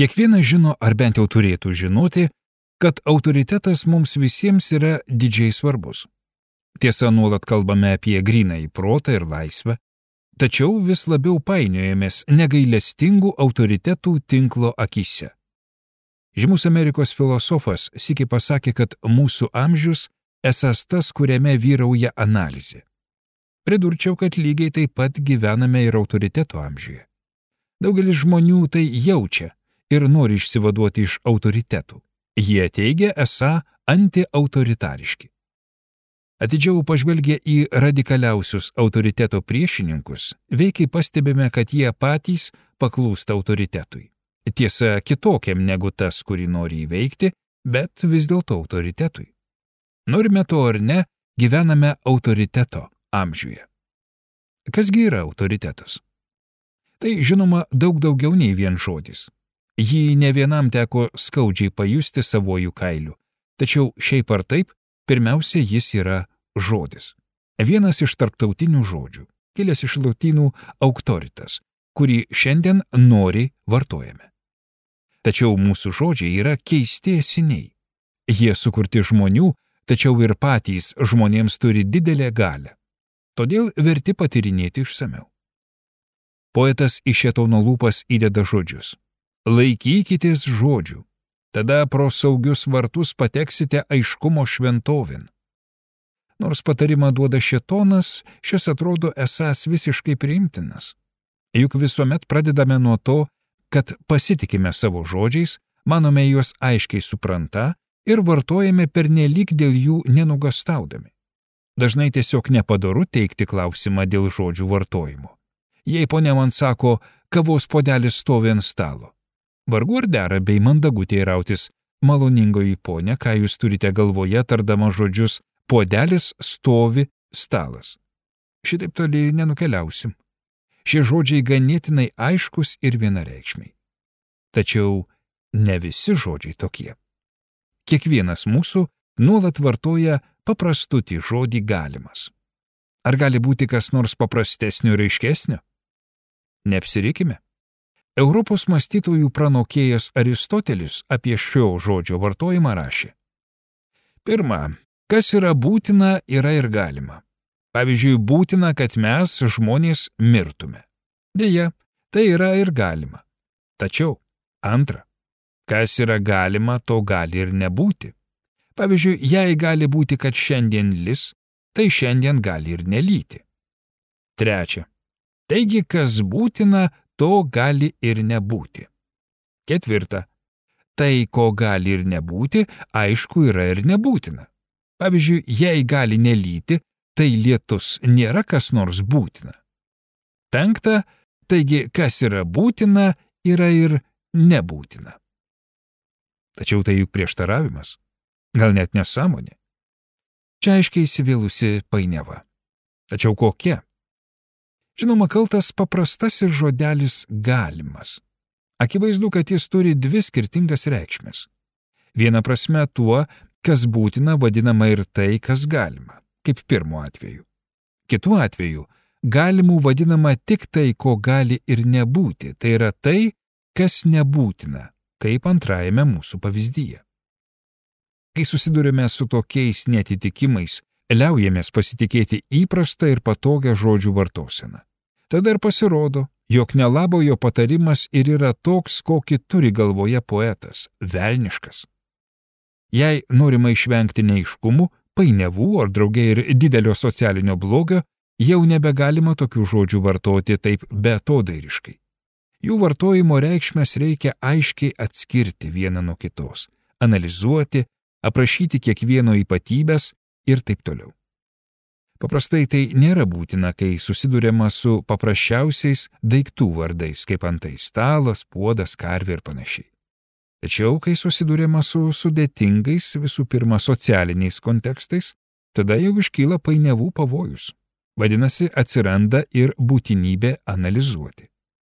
Kiekvienas žino, ar bent jau turėtų žinoti, kad autoritetas mums visiems yra didžiai svarbus. Tiesa, nuolat kalbame apie grynąjį protą ir laisvę, tačiau vis labiau painiojamės negailestingų autoritetų tinklo akyse. Žymus Amerikos filosofas sykį pasakė, kad mūsų amžius esąs tas, kuriame vyrauja analizė. Pridurčiau, kad lygiai taip pat gyvename ir autoriteto amžiuje. Daugelis žmonių tai jaučia ir nori išsivaduoti iš autoritetų. Jie teigia esą antiautoritariški. Atidžiau pažvelgę į radikaliausius autoriteto priešininkus, veikiai pastebime, kad jie patys paklūsta autoritetui. Tiesa, kitokiam negu tas, kurį nori įveikti, bet vis dėlto autoritetui. Norime to ar ne, gyvename autoriteto amžiuje. Kasgi yra autoritetas? Tai žinoma daug daugiau nei vien žodis. Jį ne vienam teko skaudžiai pajusti savojų kailiu, tačiau šiaip ar taip, pirmiausia jis yra žodis. Vienas iš tarptautinių žodžių, kilęs iš lotynų auctoritas, kurį šiandien noriai vartojame. Tačiau mūsų žodžiai yra keisti esiniai. Jie sukurti žmonių, tačiau ir patys žmonėms turi didelę galią. Todėl verti patyrinėti išsamiau. Poetas iš šėtono lūpas įdeda žodžius. Laikykitės žodžių, tada pro saugius vartus pateksite aiškumo šventovin. Nors patarimą duoda šėtonas, šis atrodo esąs visiškai priimtinas. Juk visuomet pradedame nuo to, kad pasitikime savo žodžiais, manome juos aiškiai supranta ir vartojame pernelyg dėl jų nenugastaudami. Dažnai tiesiog nepadoru teikti klausimą dėl žodžių vartojimo. Jei ponia man sako, kavos puodelis stovi ant stalo. Vargu ar dera bei mandagu teirautis, maloningoji ponia, ką jūs turite galvoje, tardama žodžius puodelis stovi stalas. Šitaip toli nenukeliausim. Šie žodžiai ganėtinai aiškus ir vienareikšmiai. Tačiau ne visi žodžiai tokie. Kiekvienas mūsų nuolat vartoja paprastutį žodį galimas. Ar gali būti kas nors paprastesnio ir aiškesnio? Neapsirikime. Europos mąstytojų pranokėjas Aristotelis apie šio žodžio vartojimą rašė. Pirma, kas yra būtina, yra ir galima. Pavyzdžiui, būtina, kad mes, žmonės, mirtume. Deja, tai yra ir galima. Tačiau, antra, kas yra galima, to gali ir nebūti. Pavyzdžiui, jei gali būti, kad šiandien lis, tai šiandien gali ir nelyti. Trečia, taigi, kas būtina, to gali ir nebūti. Ketvirta, tai, ko gali ir nebūti, aišku, yra ir nebūtina. Pavyzdžiui, jei gali nelyti, tai lietus nėra kas nors būtina. Penkta, taigi, kas yra būtina, yra ir nebūtina. Tačiau tai juk prieštaravimas, gal net nesąmonė. Čia aiškiai įsivėlusi painiava. Tačiau kokia? Žinoma, kaltas paprastasis žodelis galimas. Akivaizdu, kad jis turi dvi skirtingas reikšmes. Viena prasme tuo, kas būtina, vadinama ir tai, kas galima, kaip pirmu atveju. Kitu atveju, galimų vadinama tik tai, ko gali ir nebūti, tai yra tai, kas nebūtina, kaip antrajame mūsų pavyzdyje. Kai susidurime su tokiais netitikimais, liaujamės pasitikėti įprastą ir patogią žodžių vartoseną. Tada ir pasirodo, jog nelabojo patarimas ir yra toks, kokį turi galvoje poetas, velniškas. Jei norima išvengti neaiškumų, painiavų ar drauge ir didelio socialinio blogio, jau nebegalima tokių žodžių vartoti taip beatodairiškai. Jų vartojimo reikšmes reikia aiškiai atskirti vieną nuo kitos, analizuoti, aprašyti kiekvieno ypatybės ir taip toliau. Paprastai tai nėra būtina, kai susiduriama su paprasčiausiais daiktų vardais, kaip antai stalas, puodas, karvė ir panašiai. Tačiau, kai susiduriama su sudėtingais, visų pirma socialiniais kontekstais, tada jau iškyla painiavų pavojus. Vadinasi, atsiranda ir būtinybė analizuoti.